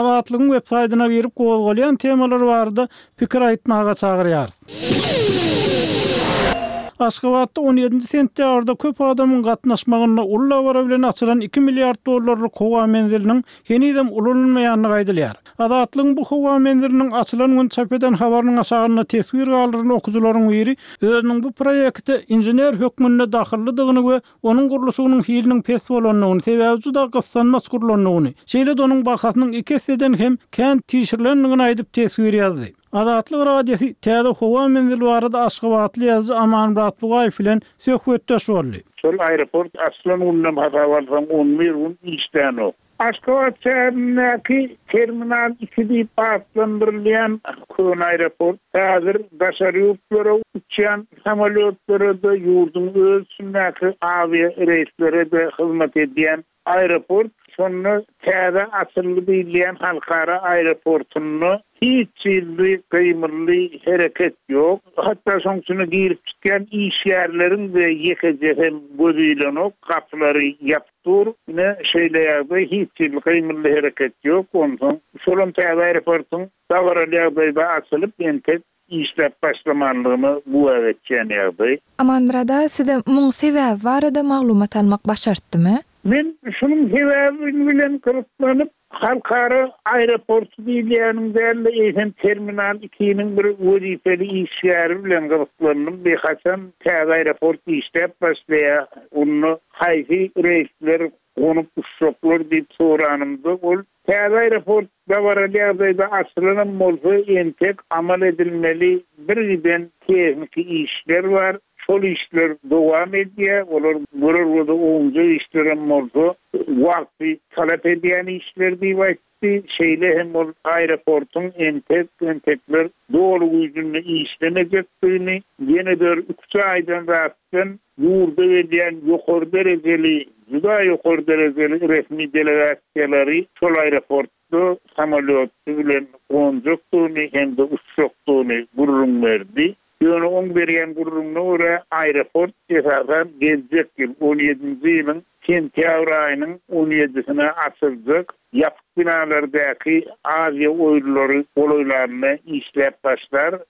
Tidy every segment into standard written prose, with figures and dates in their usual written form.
Azatlygyň websaýtyna girip gozgalýan temalar barada pikir aýtmaga çagyrýarys. Aşgabatda on ýedinji sentýabrda köp adamyň gatnaşmagynda uly dabara bilen açylan iki milliard dollarlyk howa menziliniň henizem ulanylmaýandygy aýdylýar. Azatlygyň bu howa menziliniň açylan gün çap eden habarynyň aşagynda teswir galdyran okyjylaryň biri özüniň bu proýekte inžener hökmünde dahyllydygyny we onuň gurluşygynyň hiliniň pes bolandygyny, sebäbi juda gyssanmaç gurlandygyny, şeýle-de onuň bahasynyň iki esseden hem kän çişirilendigini aýdyp teswir ýazdy. Azatlyk Radiosy täze howa menzili barada aşgabatly ýazyjy Amanmyrat Bugaýew bilen söhbetdeş boldy. Şol aeroport açylan günden hasaba alsaň on bir gün işlänok. Aşgabat şäherindäki Terminal iki diýip atlandyrylýan köne aeroport häzir daşary ýurtlara uçýan samolýotlara-da, ýurduň öz içindäki awiareýslere-de hyzmat edýän aeroport. Şonda täze açyldy diýilýän halkara aeroportynda hiç hili gymyldy, hereket ýok. Hatda şoň içine girip çykýan işgärleriň-de ýekejesem gözi ilenok, gapylary ýapyk. Dur, ine, şeýle ýagdaý, hiç hili gymyldy-hereket ýok. Onsoň, şolam täze aeroportuň dabaraly ýagdaýda açylyp, entek işläp başlamanlygyna güwä geçýän ýagdaý. Amanmyrat aga, size muň sebäbi barada maglumat almak başartdymy? Men şunuň sebäbi bilen gyzyklanyp, Halkara aeroporty diýilýäniň däl-de, eýsem Terminal ikiniň bir wezipeli işgäri bilen gyzyklandym. Bir haçan täze aeroport işläp başlaýar, onda haýsy reýsler gonup uçjaklar diýip soranymda, ol Täze aeroport dabaraly ýagdaýda açylanam bolsa, entek amal edilmeli birgiden tehniki işler bar. Şol işler dowam edýär, olar görer göze ownujak işlerem bolsa, wagty talap edýän işler diýip aýtdy. Şeýle hem ol aeroportuň entek-entekler doly güýjünde işlemejekdigini, ýene bir üç aýdan zatdan ýurda gelýän ýokary derejeli, juda ýokary derejeli resmi delegasiýalary şol aeroport Da samolýoty bilen gonjakdygyny hem-de uçjakdygyny gürrüň berdi. Ýöne oň berýän gürrüňine görä, aeroport esasan geljek ýyl, on ýedinji ýylyň sentýabr aýynyň on ýedisine açyljak ýapyk binalardaky Aziýa oýunlary golaýlanda işläp başlar.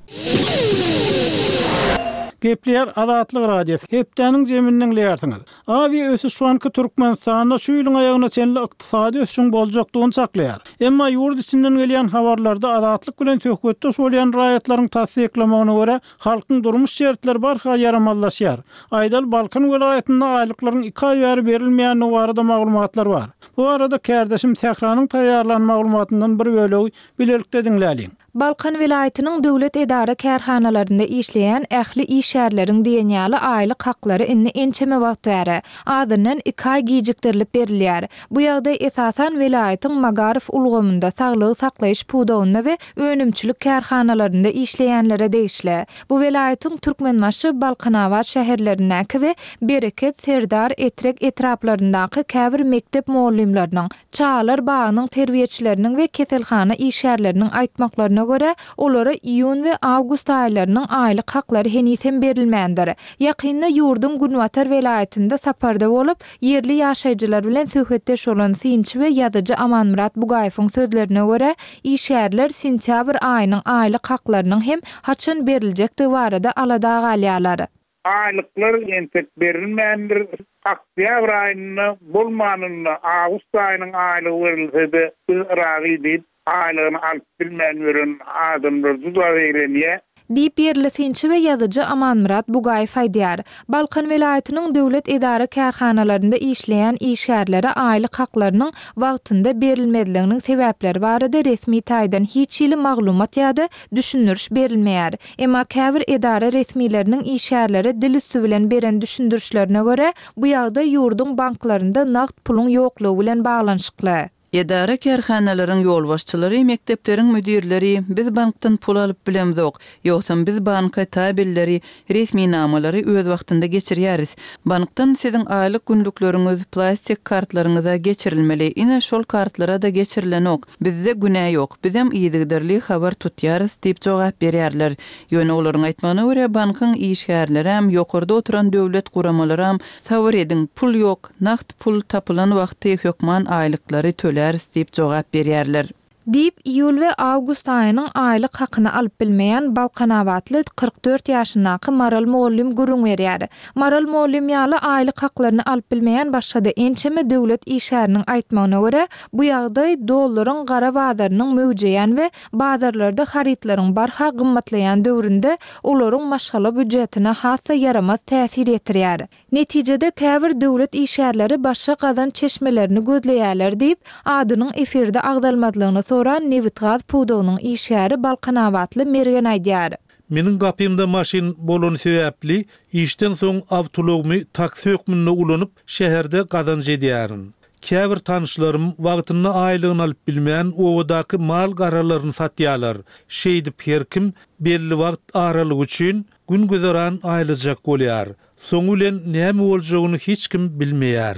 Gepleýär Azatlyk Radiosy, Hepdäniň jemini diňleýärsiňiz. Aziýa ösüş banky Türkmenistanda şu ýylyň aýagyna çenli ykdysady ösüşiň boljakdygyny çaklaýar. Emma ýurt içinden gelýän habarlarda Azatlyk bilen söhbetdeş bolýan raýatlaryň tassyklamagyna görä, halkyň durmuş şertleri barha ýaramazlaşýar. Aýdaly, Balkan welaýatynda aýlyklaryň iki aý bäri berilmeýändigi barada maglumatlar bar. Bu barada kärdeşim Sähranyň taýýarlan maglumatyndan bir bölegi bilelikde diňläliň. Balkan welaýatynyň döwlet edara-kärhanalarynda işleýän ähli işgärleriň diýen ýaly aýlyk haklary indi ençeme wagt bäri, azyndan iki aý gijikdirilip berilýär. Bu ýagdaý esasan welaýatyň magaryf ulgamynda, saglygy saklaýyş pudagynda we önümçilik kärhanalarynda işleýänlere degişli. Bu welaýatyň Türkmenbaşy, Balkanabat şäherlerindäki we Bereket, Serdar, Etrek etraplaryndaky käbir mekdep mugallymlarynyň, Çagalar bagynyň terbiýeçileriniň we keselhana işgärleriniň aýtmaklaryna görä, olara iýun we awgust aýlarynyň aýlyk haklary heniz hem berilmändir. Ýakynda ýurduň günbatar welaýatynda saparda bolup, ýerli ýaşaýjylar bilen söhbetdeş bolan synçy we ýazyjy Amanmyrat Bugaýewiň sözlerine görä, işgärler sentýabr aýynyň aýlyk haklarynyň hem haçan beriljekdigi barada alada galýarlar. Aýlyklar entek berilmändir. Oktýabr aýynda, bolmanynda awgust aýynyň aýlygy berilse-de, biz razy diýip, aýlygyny alyp bilmän ýören adamlar juda zeýrenýär. Diýip, ýerli synçy we ýazyjy Amanmyrat Bugaýew aýdýar. Balkan welaýatynyň döwlet edara-kärhanalarynda işleýän işgärlere aýlyk haklarynyň wagtynda berilmezliginiň sebäpleri barada resmi taýdan hiç hili maglumat ýa-da düşündiriş berilmeýär. Emma käbir edara resmileriniň işgärlere dil üsti bilen beren düşündirişlerine görä, bu ýagdaý ýurduň banklarynda nagt puluň ýoklugy bilen baglanyşykly. Edara-kärhanalaryň ýolbaşçylary, mekdepleriň müdirleri, Biz bankdan pul alyp bilemzok, ýogsam biz banka tabelleri, resminamalary öz wagtynda geçirýäris. Bankdan siziň aýlyk günlükleriňiz plastik kartlaryňyza geçirilmeli, ine şol kartlara-da geçirilenok. Bizde günä ýok, bizem yzygiderli habar tutýarys diýip jogap berýärler. Ýöne olaryň aýtmagyna görä, bankyň işgärlerem, ýokarda oturan döwlet guramalaram sabyr ediň, pul ýok, nagt pul tapylan wagty hökman aýlyklary töläris diýip jogap berýärler. Diýip, iýul we awgust aýynyň aýlyk hakyny alyp bilmeýän balkanabatly 44 ýaşyndaky Maral mugallym gürrüň berýär. Maral mugallym ýaly aýlyk haklaryny alyp bilmeýän başga-da ençeme döwlet işgäriniň aýtmagyna görä, bu ýagdaý dollaryň gara bazarynyň möwjeýän we bazarlarda harytlaryň barha gymmatlaýan döwründe olaryň maşgala býujetine has-da ýaramaz täsir ýetirýär. Netijede, käbir döwlet işgärleri başga gazanç çeşmelerini gözleýärler diýip, adynyň efirde agzalmazlygyny soran nebitgaz pudagynyň işgäri balkanabatly Mergen aýdýar. Meniň gapymda maşyn bolany sebäpli, işden soň awtoulagymy taksi hökmünde ulanyp, şäherde gazanç edýärin. Käbir tanyşlarym wagtynda aýlygyny alyp bilmän, obadaky mal-garalaryny satýarlar. Şeýdip her kim belli wagt aralygy üçin gün-güzeran aýlajak bolýar. Soňy bilen näme boljagyny hiç kim bilmeýär.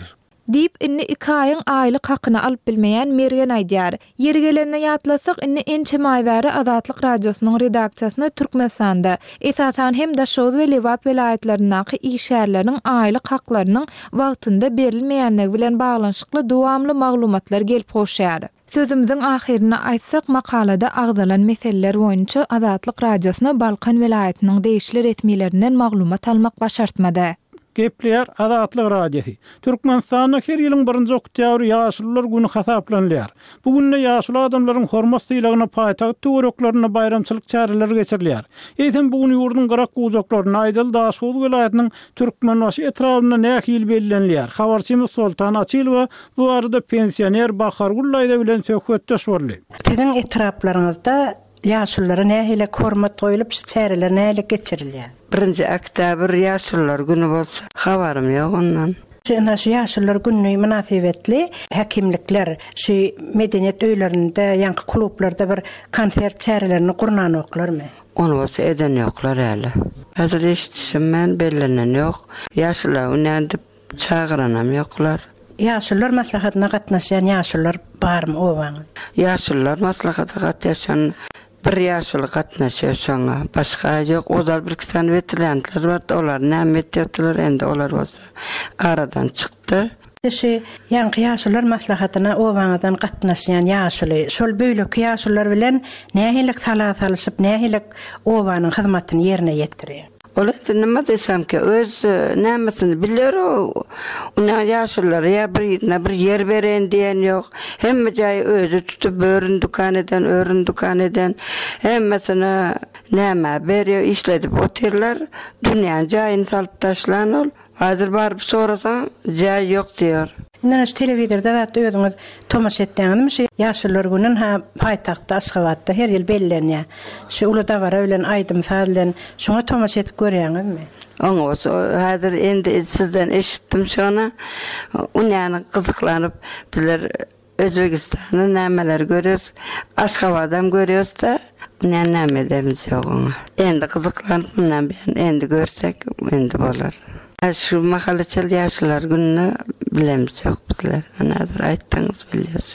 Diýip, indi iki aýyň aýlyk hakyny alyp bilmeýän Mergen aýdýar. Ýeri gelende ýatlasak, indi ençeme aý bäri Azatlyk Radiosynyň redaksiýasyna Türkmenistanda, esasan hem Daşoguz we Lebap welaýatlaryndaky işgärleriň aýlyk haklarynyň wagtynda berilmeýänligi bilen baglanyşykly dowamly maglumatlar gelip gowşýar. Sözümiziň ahyrynda aýtsak, makalada agzalan meseleler boýunça Azatlyk Radiosyna Balkan welaýatynyň degişli resmilerinden maglumat almak başartmady. Gepleýär Azatlyk Radiosy. Türkmenistanda her ýylyň birinji oktýabry Ýaşulular güni hasaplanylýar. Bu günde ýaşuly adamlaryň hormat-sylagyna paýtagt töwereklerinde baýramçylyk çäreleri geçirilýär. Eýsem, bu gün ýurduň gyrak-bujaklarynda, aýdaly Daşoguz welaýatynyň Türkmenbaşy etrabynda nähili bellenilýär? Habarçymyz Soltan Açylowa Bu barada pensioner Bahargül daýza bilen söhbetdeş boldy. Siziň etraplaryňyzda ýaşululara nähili hormat goýlup, şu çäreler nähili geçirilýär? Birinji oktýabr ýaşulular güni bolsa, habarym ýok ondan. Ynha şu ýaşulular güni mynasybetli häkimlikler şu medeniýet öýlerinde, ýaňky klublarda bir konsert çärelerini gurnanoklarmy? Ony bolsa eden ýoklar häli. Häzir eşidişim men bellenen ýok. Ýaşulular güni nädip Çagyranam ýoklar. Ýaşulular maslahatyna gatnaşýan ýaşulular barmy obaňyzda? Ýaşulular maslahata gatnaşan bir ýaşuly gatnaşýar şoňa. Başga ýok. Ozal birki sany weteranlar bardy, olar näme etýärdiler, indi olar bolsa aradan çykdy. Şu ýaňky ýaşulular maslahatyna obaňyzdan gatnaşýan ýaşuly şol beýleki ýaşulular bilen nähili sala salyşyp, nähili obanyň hyzmatyny ýerine ýetirýär? Ol indi nima diýsemkä, öz nämesini biler o. Ine ýaşululara ýa birine bir ýer bereýin diýen ýok. Hemme jaýy özi tutup, börün dükan eden, örün dükan eden. Hemmesine nämä berýär, işledip otyrlar. Dünýäni jaýyny salyp taşlan ol. Häzir baryp sorasaň, jaý ýok diýer. Indi şu telewizorda zat özüňiz tomaşa etýäňizmi şu Ýaşulular güni ynha paýtagtda Aşgabatda her ýyl bellenýär. Şu uly dabara bilen aýdym saz bilen şoňa tomaşa edip görýäňizmi? Oňa bolsa häzir indi sizden eşitdim şony. Unýany gyzyklanyp bizler Özbegistany nämeleri görýäs, Aşgabadam görýäs-de, mundan näme ederimiz ýok oňa. Endi gyzyklanyp mundan buýan endi görsek endi bolar. Şu mahala çenli ýaşulylar gününe bilemizok bizler. Ana häzir aýtsaňyz bilýäs.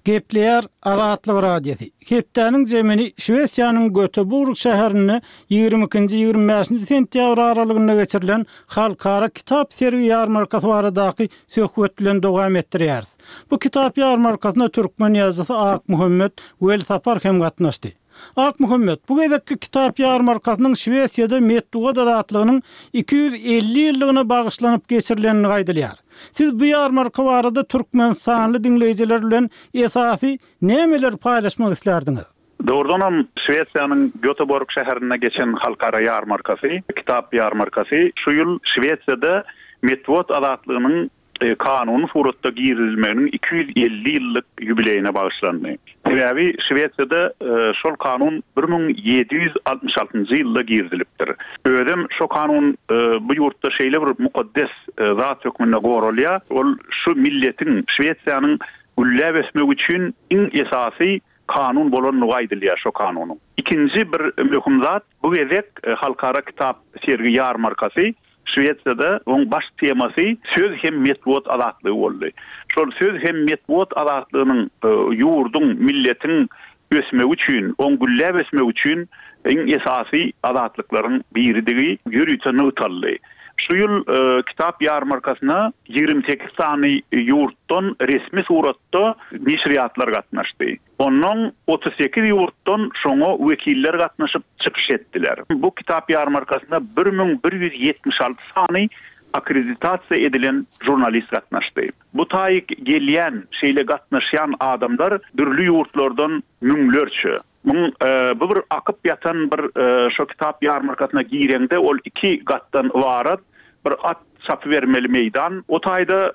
Gepleýär Azatlyk Radiosy. Hepdäniň jemini Şwesiýanyň Göteborg şäherinde ýigrimi ikinji, ýigrimi bäşinji sentýabr aralygynda geçirilen halkara kitap sergi-ýarmarkasy baradaky söhbet bilen dowam etdirýäris. Bu kitap ýarmarkasyna türkmen ýazyjysy Akmuhammet Welsapar hem gatnaşdy. Akmuhammet, bu gezekki kitap ýarmarkasynyň Şwesiýada metbugat azatlygynyň 250 ýyllygyna bagyşlanyp geçirilendigi aýdylýar. Siz bu ýarmarka barada türkmenistanly diňleýjiler bilen esasy nämeleri paýlaşmak islärdiňiz? Dogrudanam, Şwesiýanyň Göteborg şäherinde geçen halkara ýarmarkasy, kitap ýarmarkasy şu ýyl Şwesiýada metbugat azatlygynyň kanuny suratda girizilmeginiň 250 ýyllyk ýubileýine bagyşlandy. Sebäbi Şwesiýada şol kanun 1766-njy ýylda girizilipdir. Özem şo kanun bu ýurtda şeýle bir mukaddes zat hökmünde goralýar, ol şu milletiň, Şwesiýanyň gülläp ösmegi üçin iň esasy kanun bolandygy aýdylýar şo kanunyň. Ikinji bir möhüm zat, bu gezek Halkara kitap sergi-ýarmarkasy Şwesiýada oň baş temasy söz hem metbugat azatlygy boldy. Şol söz hem metbugat azatlygynyň ýurduň, milletiň ösmegi üçin, oň gülläp ösmegi üçin iň esasy azatlyklaryň biridigi ýörite nygtaldy. Şu ýyl kitap ýarmarkasyna 28 sany ýurtdan resmi suratda neşirýatlar gatnaşdy. Ondan 38 ýurtdan şoňa wekiller gatnaşyp çykyş etdiler. Bu kitap ýarmarkasyna 1176 sany akkreditasiýa edilen žurnalist gatnaşdy. Bu taýyk gelýän, şeýle gatnaşýan adamlar dürli ýurtlardan müňlerçe. Muň bu bir akyp ýatan bir şo kitap ýarmarkasyna gireňde ol iki gatdan ybarat bir at çapybermeli meýdan. O taýda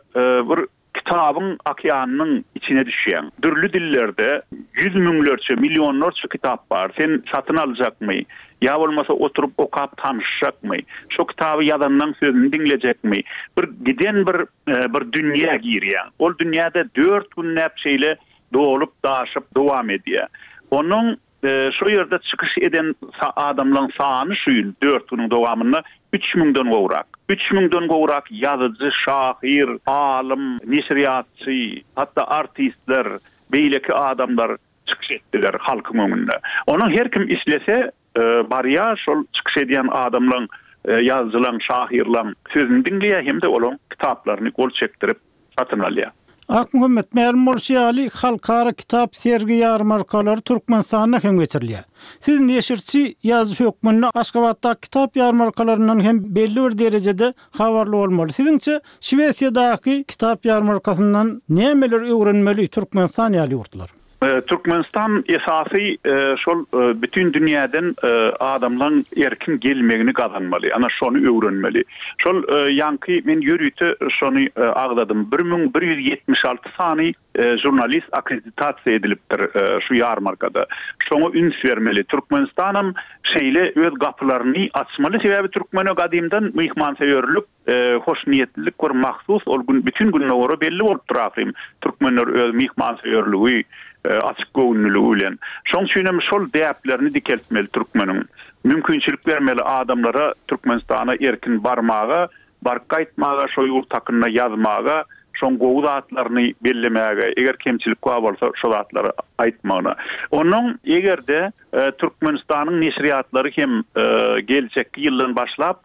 bir kitabyň okeanynyň içine düşýäň. Dürli dillerde ýüz müňlerçe, millionlarça kitap bar. Sen satyn aljakmy? Ýa bolmasa oturyp okap tanyşjakmy? Şo kitaby ýazanlaň sözüni diňlejekmi? Bir giden bir bir dünýä girýäň. Ol dünýäde dört günläp şeýle dolup-daşyp dowam edýär. Onuň şo ýerde çykyş eden adamlaň sany şu ýyl dört günüň dowamynda üç müňden gowrak. Üç müňden gowrak ýazyjy, şahyr, alym, neşirýatçy, hatda artistler, beýleki adamlar çykyş etdiler halkyň öňünde. Onuň her kim islese barýar şol çykyş edýän adamlaň, ýazyjylaň, şahyrlaň sözüni diňleýär hem-de olaň kitaplaryny gol çekdirip satyn alýar. Akmuhammet, mälim bolşy ýaly, halkara kitap sergi-ýarmarkalary Türkmenistanda hem geçirilýär. Siz neşirçi, ýazyjy hökmünde Aşgabatdaky kitap ýarmarkalaryndan hem belli bir derejede habarly bolmaly. Siziňçe, Şwesiýadaky kitap ýarmarkasyndan nämeleri öwrenmeli Türkmenistan ýaly ýurtlar? Türkmenistan esasy şol bütin dünýäden adamlaň erkin gelmegini gazanmaly. Ana şony öwrenmeli. Şol ýaňky men ýörite şony agzadym. 1176 sany žurnalist akkreditasiýa edilipdir şu ýarmarkada. Şoňa üns bermeli. Türkmenistanam şeýle öz gapylaryny açmaly. Sebäbi türkmene gadymdan myhmansöýerlik, hoşniýetlilik bir mahsus. Ol gün bütin gündogara belli bolupdyr ahyryn. Türkmenler öz myhmansöýerligi, açyk göwünliligi bilen. Şoň üçinem şol däplerini dikeltmeli türkmeniň. Mümkinçilik bermeli adamlara Türkmenistana erkin barmaga, baryp gaýtmaga, şo ýurt hakynda ýazmaga, şoň gowy zatlaryny bellemäge, eger kemçilik bar bolsa şo zatlary aýtmagyna. Onnoň eger-de Türkmenistanyň neşirýatlary hem geljekki ýyldan başlap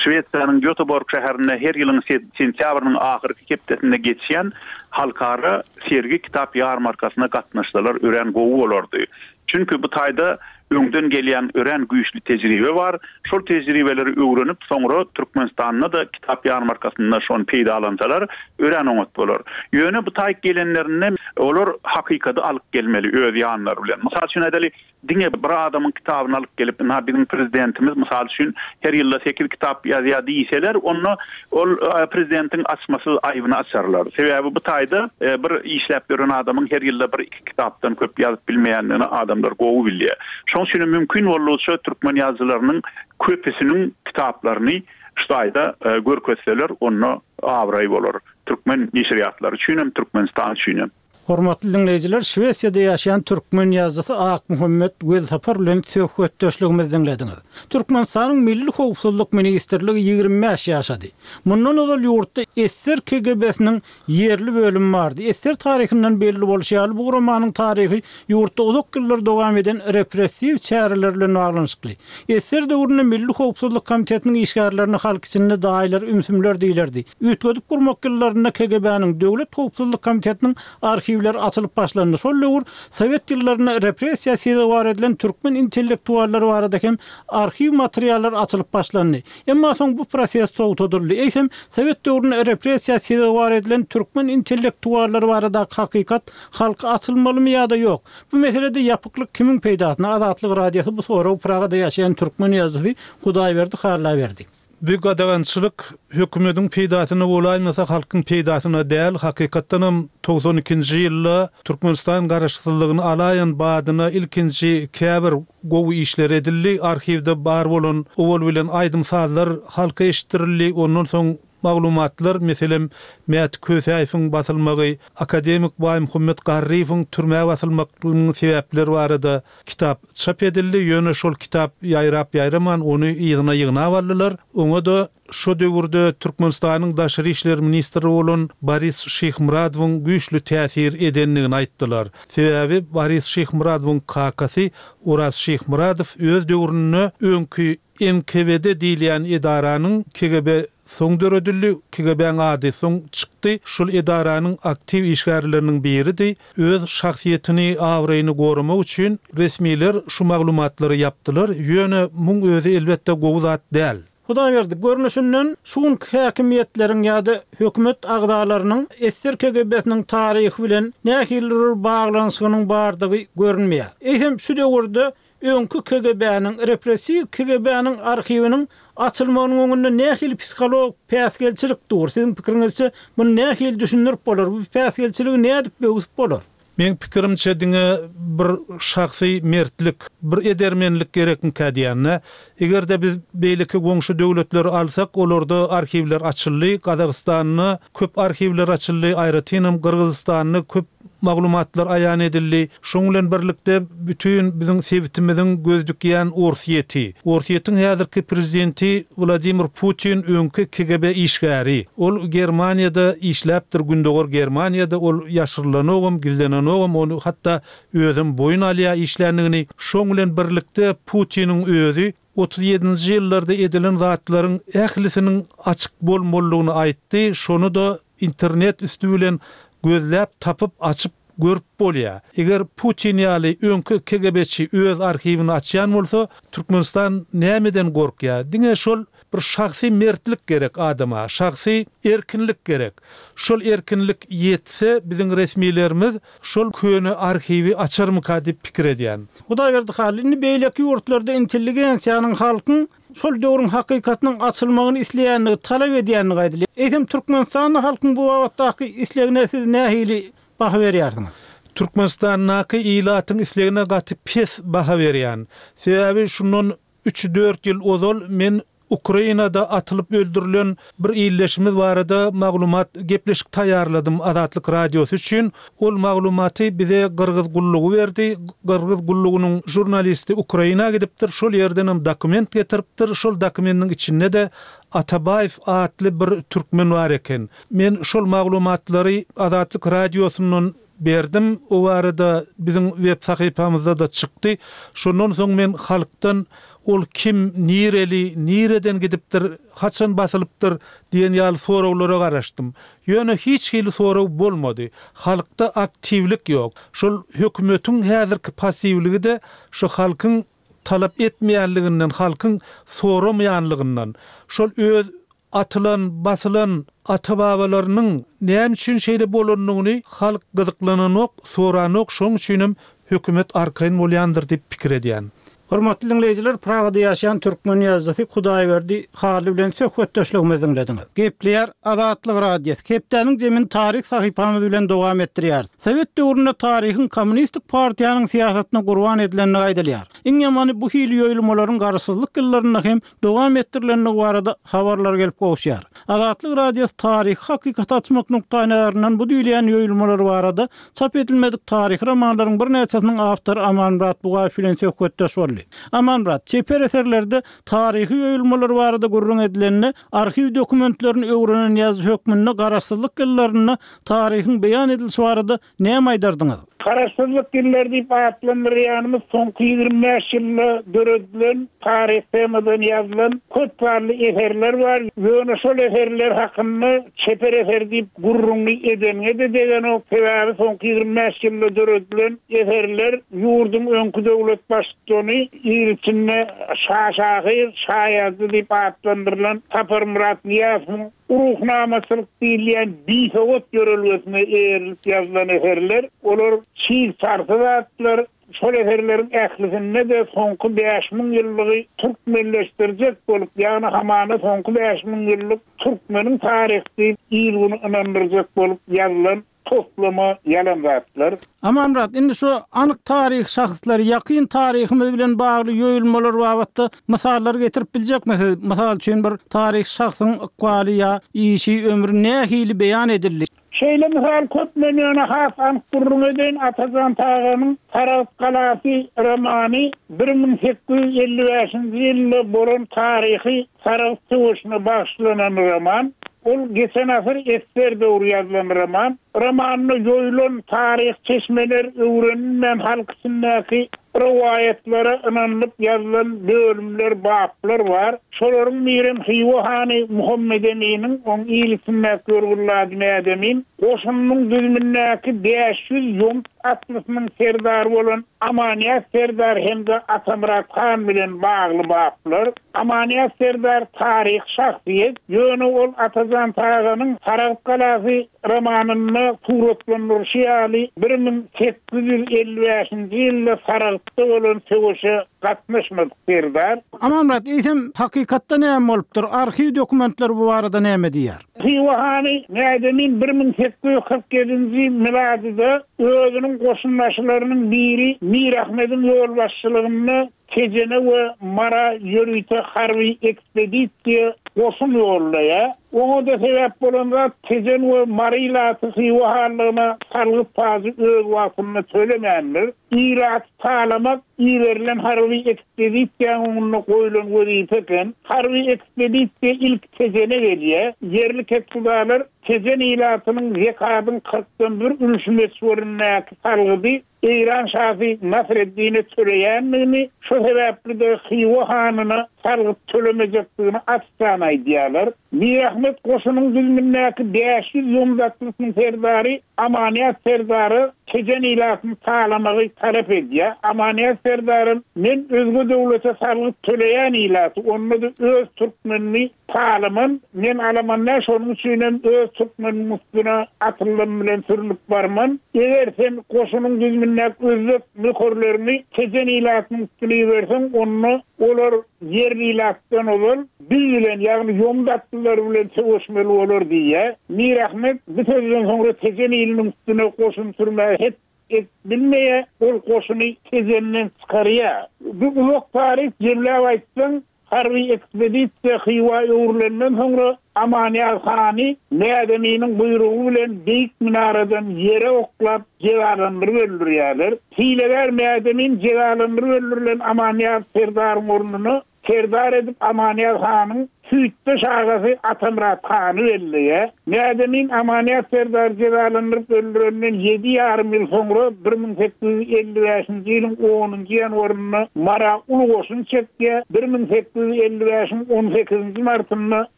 Şwesiýanyň Göteborg şäherinde her ýylyň sentýabrynyň ahyrky hepdesinde geçýän halkara sergi kitap ýarmarkasyna gatnaşsalar örän gowy bolardy. Çünki bu taýda öňden gelýän örän güýçli tejribe bar. Şol tejribeleri öwrenip, soňra Türkmenistanda-da kitap ýarmarkasynda şony peýdalansalar, örän oňat bolar. Ýöne bu taýyk gelenlerinde olar hakykady alyp gelmeli öz ýanlary bilen. Mysal üçin aýdaly, diňe bir adamyň kitabyny alyp gelip, ynha biziň prezidentimiz mysal üçin her ýylda sekiz kitap ýazýar diýseler, onda ol prezidentiň açmasyz aýbyny açarlar. Sebäbi bu taýda bir işläp ýören adamyň her ýylda bir kitapdan köp ýazyp bilmeýändigini adamlar gowy bilýär. Şonuň üçin hem mümkin boldugyça türkmen ýazyjylarynyň köpüsiniň kitaplaryny şu taýda görkezseler, onda abraý bolar türkmen neşirýatlary üçin hem, Türkmenistan üçin hem. Hormatly diňleýjiler, Şwesiýada ýaşaýan türkmen ýazyjysy Akmuhammet Welsapar bilen söhbetdeşligimizi diňlediňiz. Türkmenistanyň Milli howpsuzlyk ministrligi 25 ýaşady. Mundan ozal ýurtda ssr KGB-siniň Ýerli bölüm bardy. Ssr taryhyndan belli bolşy ýaly, bu guramanyň taryhy ýurtda uzak ýyllar dowam eden repressiw çäreler bilen baglanyşykly. Ssr döwründe Milli howpsuzlyk komitetiniň işgärlerine halk içinde daýylar, ümsümler diýlerdi. Üýtgedip gurmak ýyllarynda KGB-niň, Döwlet howpsuzlyk komitetiniň arhiwleri açylyp başlandy. Şol döwür sowet ýyllarynda repressiýa sezewar edilen türkmen intellektuallary barada hem arhiw materiallary açylyp başlandy. Emma soň bu proses togtadyldy. Eýsem, sowet döwründe repressiýa sezewar edilen türkmen intellektuallary baradaky hakykat halka açylmalymy ýa-da ýok? Bu meselede ýapyklyk kimiň peýdasyna? Azatlyk Radiosy bu soragy Pragada ýaşaýan türkmen ýazyjysy Hudaýberdi Halla berdi. Bu gadagançylyk hökümediň peýdasyna bolaýmasa halkyň peýdasyna däl, hakykatdanam 92-nji ýylda Türkmenistan garaşsyzlygyny alaýan badyna ilkinji käbir Gowy işler edildi, arhiwde bar bolan owal bilen aýdym-sazlar halka eşitdirildi, ondan soň. maglumatlar, meselem, Mäti Kösäýewiň basylmagy, akademik Baýmuhammet Garryýewiň türmä basylmaklygynyň sebäpleri barada kitap çap edildi, ýöne şol kitap ýaýrap-ýaýraman ony yzyna ýygnap aldylar. Oňa-da şo döwürde Türkmenistanyň daşary işler ministri bolan Boris Şyhmyradowyň güýçli täsir edendigini aýtdylar. Sebäbi Boris Şyhmyradowyň kakasy Oraz Şyhmyradow öz döwründe öňki NKWD diýilýän edaranyň, KGB soň döredildi, KGB-niň ady soň çykdy, şol edaranyň aktiw işgärleriniň biridi. Öz şahsyýetini, abraýyny goramak üçin resmiler şu maglumatlary ýapdylar, ýöne muň özi elbetde gowy zat däl. Hudaýberdi, görnüşinden, şu günki häkimiýetleriň ýa-da hökümet agzalarynyň ssr KGB-siniň taryhy bilen nähilidir bir baglanyşygynyň bardygy görünmeýär. Eýsem, şu döwürde öňki KGB-niň, repressiw KGB-niň arhiwiniň açylmagynyň öňünde nähili psihologik päsgelçilik dur? Siziň pikiriňizçe, muny nähili düşündirip bolar? Bu päsgelçiligi nädip böwsüp bolar? Meň pikirimçe diňe bir şahsy mertlik, bir edermenlik gerekmikä diýende. Eger-de biz beýleki goňşy döwletleri alsak, olarda arhiwler açyldy. Gazagystanda köp arhiwler açyldy, aýratynam Gyrgyzystanda köp maglumatlar aýan edildi. Şoň bilen birlikde bütin biziň sebitimiziň göz dikýän Orsýeti. Orsýetiň häzirki prezidenti Wladimir Putin öňki KGB işgäri. Ol Germaniýada işläpdir, Gündogar Germaniýada. Ol ýaşyrylanogam, gizlenenogam, ony hatda özem boýun alýar işländigini. Şoň bilen birlikde Putiniň özi 37-nji ýyllarda edilen zatlaryň ählisiniň açyk bolmalydygyny aýtdy, şony-da internet üsti bilen gözläp tapyp açyp görüp bolýar. Eger Putin ýaly öňki KGB-çi öz arhiwini açýan bolsa, Türkmenistan nämeden gorkýar? Diňe şol bir şahsy mertlik gerek adama, şahsy erkinlik gerek. Şol erkinlik ýetse biziň resmilerimiz şol köne arhiwi açarmyka diýip pikir edýän. Hudaýberdi Hally, indi beýleki ýurtlarda intelligensiýanyň halkyň şol döwrüň hakykatynyň açylmagyny isleýändigi, talap edýändigi aýdylýar. Eýsem Türkmenistanda halkyň bu babatdaky islegine siz nähili baha berýärsiňiz? Türkmenistandaky ilatyň islegine gaty pes baha berýän. Sebäbi şundan üç-dört ýyl ozal men Ukrainada atylyp öldürilen bir ildeşimiz barada maglumat, gepleşik taýýarladym Azatlyk Radiosy üçin. Ol maglumaty bize gyrgyz gullugy berdi. Gyrgyz gullugynyň žurnalisti Ukraina gidipdir, şol ýerdenem dokument getiripdir. Şol dokumendiň içinde-de Atabaýew atly bir türkmen bar eken. Men şol maglumatlary Azatlyk Radiosyndan berdim. O barada biziň web sahypamyzda-da çykdy. Şondan soň men halkdan ol kim, nireli, nireden gidipdir, haçan basylypdyr diýen ýaly soraglara garaşdym. Ýöne hiç hili sorag bolmady. Halkda aktiwlik ýok. Şol hökümetiň häzirki passiwligi-de şu halkyň talap etmeýänliginden, halkyň soramaýanlygyndan. Şol öz Atylan, basylan ata-babalarynyň näme üçin şeýle bolanyny halk gyzyklananok, soranok, şoň üçinem hökümet arkaýyn bolýandyr diýip pikir edýän. Hormatly diňleýjiler, Pragada ýaşaýan türkmen ýazyjysy Hudaýberdi Hally bilen söhbetdeşligimizi diňlediňiz. Gepleýär Azatlyk Radiosy. Hepdäniň jemini taryh sahypamyz bilen dowam etdirýäris. Sowet döwründe taryhyň kommunistik partiýanyň syýasatyna gurban edilendigi aýdylýar. Iň ýamany bu hili ýoýulmalaryň garaşsyzlyk ýyllarynda hem dowam etdirilendigi barada habarlar gelip gowuşýar. Azatlyk Radiosy taryhy hakykaty açmak nukdaýnazaryndan bu diýilýän ýoýulmalar barada çap edilmedik taryhy romanlaryň birnäçesiniň awtory Amanmyrat Bugaýew bilen söhbetdeş boldy. Amanmyrat, çeper eserlerde taryhy ýoýulmalar barada gürrüň edilende, arhiw dokumentlerini öwrenen ýazyjy hökmünde garaşsyzlyk ýyllarynda taryhyň beýan edilişi barada Näme aýdardyňyz? Garaşsyzlyk ýyllary diýip atlandyrýanymyz soňky 25 ýylda döredilen, taryh temadan ýazylan köp sanly eserler bar. Ýöne şol eserler hakynda çeper eser diýip gürrüňi edeniňe-de degenok. Sebäbi soňky 25 ýylda döredilen eserler ýurduň öňki döwlet baştutany, il içinde şa şahyr, şa ýazyjy diýip atlandyrylan Saparmyrat Nyýazowyň Ruhnamaçylyk diýilýän bisowat ýörelgesine eýerilip ýazylan eserler, olar çig çarsy zatlar, şol eserleriň ählisinde-de soňky 5000 ýyllygy türkmenleşdirjek bolup, ýagny hamana soňky 5000 ýyllyk türkmeniň taryhy diýip il-güni ynandyrjak bolup ýazylan. Toslama ýalan zatlar. Amanmyrat, indi şu anyk taryhy şahslar, ýakyn taryhymyz bilen bagly ýoýulmalar babatda mysallar getirip biljekmi siz? Mysal üçin bir taryhy şahsyň ykbaly ýa işi, ömri nähili beýan edildi? Şeýle mysal köp, men ýöne has anyk gürrüň edeýin, Atajan Taganyň Saragt galasy romany 1855-nji ýylda bolan taryhy Saragt söweşine bagyşlanan roman. Ol geçen asyr esser döwri ýazylan roman. Romanda ýoýulan taryhy çeşmeler öwrenilmän halk içindäki rowaýatlara ynanylyp ýazylan bölümler, baplar bar. Şolaryň birem Hywa hany Muhammedeminiň, oň il içindäki görgüli ady Mädemin, goşunynyň düzümindäki 500 ýomut atlysynyň serdary bolan Amanýaz serdar hem-de Atamyrat han bilen bagly baplar. Amanýaz serdar taryhy şahsyýet, ýöne ol Atajan Taganyň Saragt galasy romanynda suratlandyryşy ýaly 1855-nji ýylda Saragtda bolan söweşe gatnaşmadyk serdar. Amanmyrat, eýsem, hakykatda näme bolupdyr? Arhiw dokumentleri bu barada näme diýýär? Hywa hany Mädemin 1847-nji miladyda özüniň goşunbaşylarynyň biri Mirahmediň ýolbaşçylygynda Tejene we Mara ýörite harby ekspedisiýa goşun ýollaýar. Oňa-da sebäp bolan zat Tejen we Mary ilaty Hywa hanlygyna salgyt pajy öz wagtynda tölemändir. Ilaty talamak iberilen harby ekspedisiýanyň öňünde goýlan wezipe eken. Harby ekspedisiýa ilki Tejene gelýär. Ýerli kethudalar Tejen ilatynyň zekadyň kyrkdan bir ülşi möçberindäki salgydy Eýran şasy Nasreddine töleýändigini, şo sebäpli-de Hywa hanyna salgyt tölemejekdigini açjan aýdýarlar. Mirahmet goşunyň düzümindäki 500 ýomut atlysynyň serdary Amanýaz serdara Tejen ilatyny talamagy talap edýär. Amanýaz serdaram Men özge döwlete salgyt töleýän ilaty, onda-da öz türkmenini Talaman, men alaman däl, şonuň üçinem öz türkmenimiň üstüne atyldym bilen sürnüp barman. Eger sen goşunyň düzümindäki özbek nökerleriňi Tejen ilatynyň üstüne iberseň, onda olar ýerli ilatdan ozal biz bilen, ýagny ýomut atlylar bilen söweşmeli bolar diýýär. Mirahmet bu sözden soňra Tejen iliniň üstüne goşun sürmäge het edip bilmeýär, ol goşuny Tejenden çykarýar. Bu uzak taryh, jemläp aýtsaň, Harby ekspedisiýa Hywa öwrülenden soňra Amanýaz hany Mädeminiň buýrugy bilen beýik minaradan ýere oklap jezalandyryp öldürýärler. Hilegär Mädemin jezalandyryp öldürilen Amanýaz serdaryň ornuna serdar edip Amanýaz hanyň süýtdeş agasy Atamyrat hany belleýär. Mädemin Amanýaz serdary jezalandyryp öldürenden ýedi ýarym ýyl soňra, 1855-nji ýylyň onunjy ýanwarynda Mara uly goşun çekýär. 1855-iň on sekizinji martynda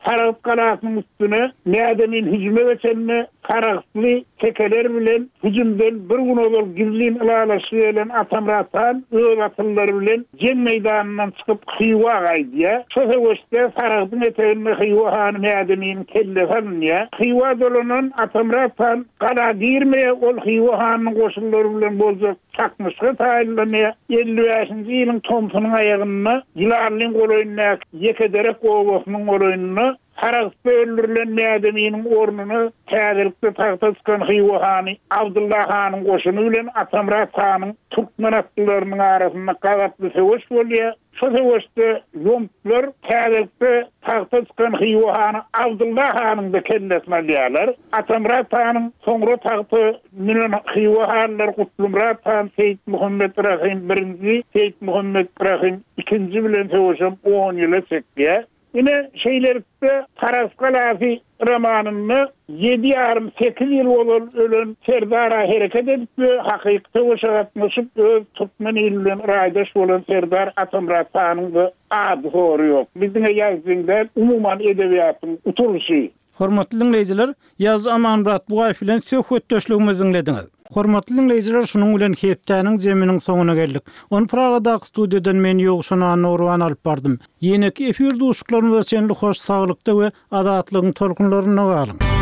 Saragt galasynyň üstüne Mädemin hüjüme geçende saragtly tekeler bilen hüjümden bir gün ozal gizlin ylalaşyga gelen Atamyrat han öz atlylary bilen Jeň meýdanyndan çykyp Hywa gaýdýar. Şo söweşde Saragtyň eteginde Hywa hany Mädeminiň kellesi alynýar. Hywa dolanan Atamyrat han gala girmeýär, ol Hywa hanynyň goşunlary bilen boljak çaknyşyga taýynlanýar. 55-nji ýylyň tomsunyň aýagynda Ýylanlyň golaýyndaky Ýekederek obasynyň golaýynda Saragtda öldürilen Mädeminiň ornuna täzelikde tagta çykan Hywa hany Abdylla hanyň goşuny bilen Atamyrat hanyň türkmen atlylarynyň arasynda gazaply söweş bolýar. Şo söweşde ýomutlar täzelikde tagta çykan Hywa hany Abdylla hanyň-da kellesini alýarlar. Atamyrat hanyň soňra tagta münen Hywa hanlary Gutlymyrat han, Seýitmuhammet Rahym birinji, Seýitmuhammet Rahym ikinji bilen söweşem on ýyla çekýär. Ine, şeýlelikde, Sarahs galasy romanynda ýedi ýarym, sekiz ýyl ozal ölen serdara hereket edip we hakyky söweşe gatnaşyp, öz türkmen ili bilen raýdaş bolan serdar Atamyrat hanyň-da ady-sory ýok. Bu diňe ýazyjyň däl, umuman edebiýatyň utulyşy. Hormatly diňleýjiler, ýazyjy Amanmyrat Bugaýew bilen söhbetdeşligimizi diňlediňiz. Hormatly diňleýjiler, şunuň bilen hepdäniň jeminiň soňuna geldik. Ony Pragadaky studiýadan men Ýowşan Annagurban alyp bardym. Ýeneki efir duşuşyklarymyza çenli hoş saglykda we azatlygyň tolkunlarynda galyň!